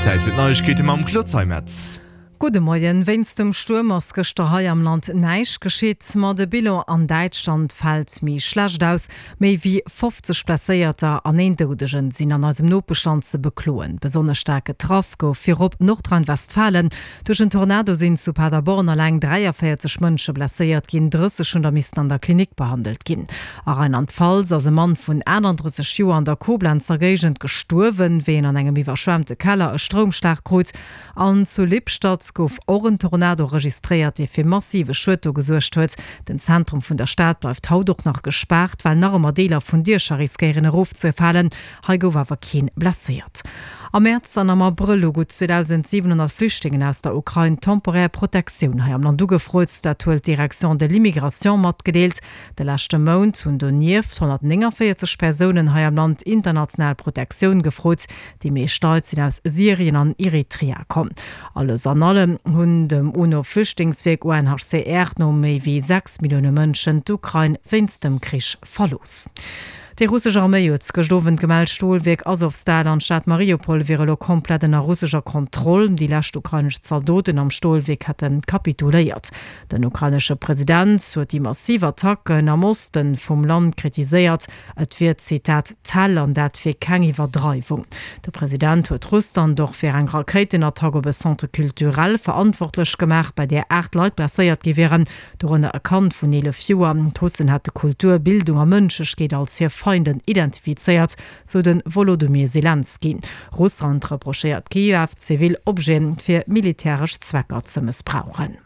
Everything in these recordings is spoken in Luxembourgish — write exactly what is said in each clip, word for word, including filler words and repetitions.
Zäit fir d'Neiegkeete mam Claude Zeimetz. Gudde Moien. Wéinst dem Stuerm ass gëschter hei am Land näischt geschitt, ma de Bilan an Däitschland fält méi schlecht aus. Méi wéi fofzeg Blesséierter an een Doudegen sinn an eisem Nopeschland ze bekloen. Besonnesch staark getraff gouf virop Nordrhein-Westfalen. Duerch en Tornado sinn zu Paderborn eleng dräiavéierzeg Mënsche blesséiert ginn, drësseg hunn der missten an der Klinik behandelt ginn. A Rheinland-Pfalz ass e Mann vun aatandrësseg Joer an der Koblenzer Géigend gestuerwen, wéi en an engem iwwerschwemmte Keller e Stroumschlag krut. An zu Lippstadt gouf och en Tornado registréiert, dee fir massive Schued do gesuergt huet. Den Zentrum vun der Stad bleift haut och nach gespaart, well nach ëmmer Deeler vun Diecher riskéieren erofzefalen. Hei gouf awer keen blesséiert. Am Mäerz an am Abrëll hu gutt zweedausendsiwenhonnert Flüchtlingen aus der Ukrain temporär Protektioun hei am Land ugefrot. Dat huet d'Direction de l'immigration matgedeelt. De leschte Mount hunn donieft honnertnénganvéierzeg Persounen hei am Land international Protektioun gefrot. Déi meescht Leit sinn aus Syrien an Eritrea komm. Alles an allem hunn dem UNO-Flüchtlingswierk U N H C R no méi wéi sechs Millioune Mënschen d'Ukrain wéinst dem Krich verlooss. Déi russesch Arméi huet gëscht Owend gemellt, d'Stolwierk Asowstal an d'Stad Mariupol wier elo komplett ënner russescher Kontroll. Déi lescht ukrainesch Zaldoten am Stolwierk hätte kapituléiert. Den ukrainesche President huet déi massiv Attacken am Oste vum Land kritiséiert. Et wier, Zitat, Tell an dat wier keng Iwwerdreiwung. De President huet Russland och fir eng Rakéitenattack op e Centre culturel verantwortlech gemaach, bei där aacht Leit blesséiert gi wieren, dorënner e Kand vun eelef Joer. D'Russen hätte Kultur, Bildung a Mënschlechkeet als hir Feinden identifizéiert, sou de Wolodymyr Selenskyj. Russland reprochéiert Kiew, zivil Objete fir militäresch Zwecker ze mëssbrauchen.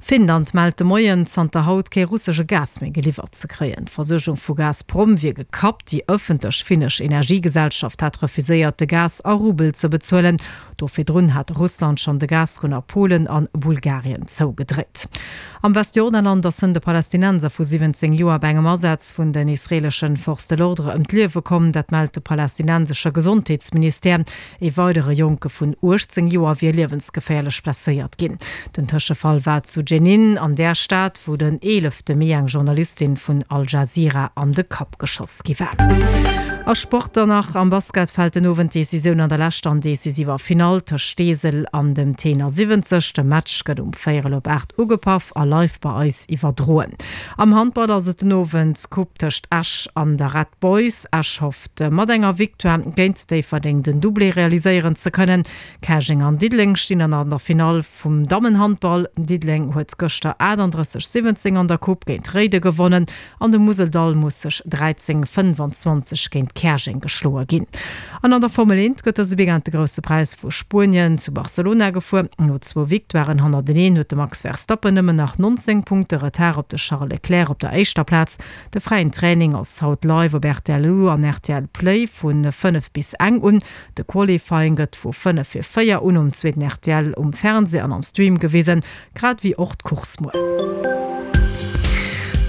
Finnland mellt de Moien, zanter haut kee russesche Gas méi geliwwert ze kréien. D'Versuergung vu Gazprom wier gekappt. Déi ëffentlech finnesch Energiegesellschaft hat refuséiert, de Gas a Rubel ze bezuelen. Do virdrun hat Russland schonn de Gasrunn a Polen an Bulgarien zougedréit. Am Westjordanland ass hënt e Palästinenser vu siwwenzéng Joer bei engem Asaz vun den israeeleschen Forces de l'ordre ëm d'Liewe komm. Dat mellt de palästinensesche Gesondheetsministère. Ee weidere Jonke vun uechtzéng Joer wier liewensgeféierlech blesséiert ginn. Den Tëschefall war zu Jenin, an där Stad, wou den eelefte Mee eng Journalistin vun Al Jazeera an de Kapp geschoss gi war. A Sport dann nach, Am Basket fält den Owend d'Decisioun an der leschter an decisiver Finall tëscht Steesel an dem Tenor siwwenzeg. De Match gëtt um véierel op aacht ugepaff a live bei eis iwwerdroen. Am Handball ass et den Owend d'Coupe tëscht Esch an der Red Boys. Esch hofft mat enger Victoire géint Déifferdeng den Doublé realiséieren ze kënnen. Käerjeng an Diddeleng stinn dann an der Finall vum Dammenhandball. Diddeleng huet gëschter aatandrësseg, siwwenzéng an der Coupe géint Réiden gewonnen an de Museldall muss sech dräizéng, fënnfanzwanzeg géint Käerjeng geschloe ginn. An an der Formel eent gëtt dëse Weekend de Grousse Präis vu Spuenien zu Barcelona gefuer. No zwou Victoiren hannerteneen huet de Max Verstappen nëmmen nach nonzéng Punkte Retard op de Charles Leclerc op der éischter Plaz. De fräien Training ass haut live op rtl Lu an rtl Play vu fënnef bis eng un. De Qualifying gëtt vu fënnef vir véier un um zweeten rtl um Fernsee an am Stream gewisen, grad ewéi och d'Course muer.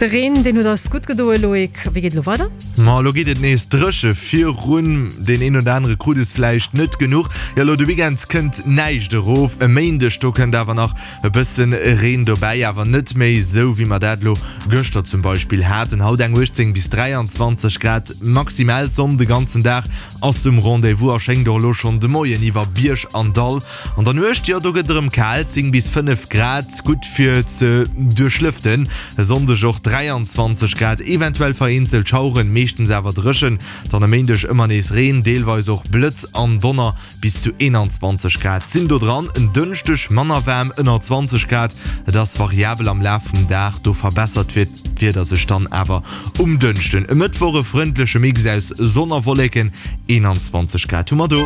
De Reen, deen huet eis gutt gedoen, Loïc. Wéi geet et elo weider? Ma elo geet et nees dréche virun. Deen een oder anere krut es vläicht net genuch. Jo, elo de Weekend kënnt näischt erof. E Méindeg, do kënnt awer nach e bëssen Reen dobäi, awer net méi esou, wéi mer dat elo gëschter zum Beispill haten. Haut eng uechtzéng bis dräianzwanzeg Grad maximal. D'Sonn de ganzen Dag ass um Rendez-vous a schéngt och elo schonn de Moien iwwer Bierg an Dall. An der Nuecht, jo, do gëtt et erëm kal, zéng bis fënnef Grad, gutt fir ze duerchlëften. E Sonndeg och dräianzwanzeg Grad, eventuell vereenzelt Schaueren, meeschtens awer dréchen. Dann e Méindeg ëmmer nees Reen, deelweis och Blëtz an Donner, bis zu eenanzwanzeg Grad sinn do dran. En Dënschdeg manner waarm, ënner zwanzeg Grad, et ass variabel am Laf vum Dag, do verbessert d'Wieder sech dann awer um Dënschden. E Mëttwoch e frëndleche Mix aus Sonn a Wolleken, eenanzwanzeg Grad hu mer do.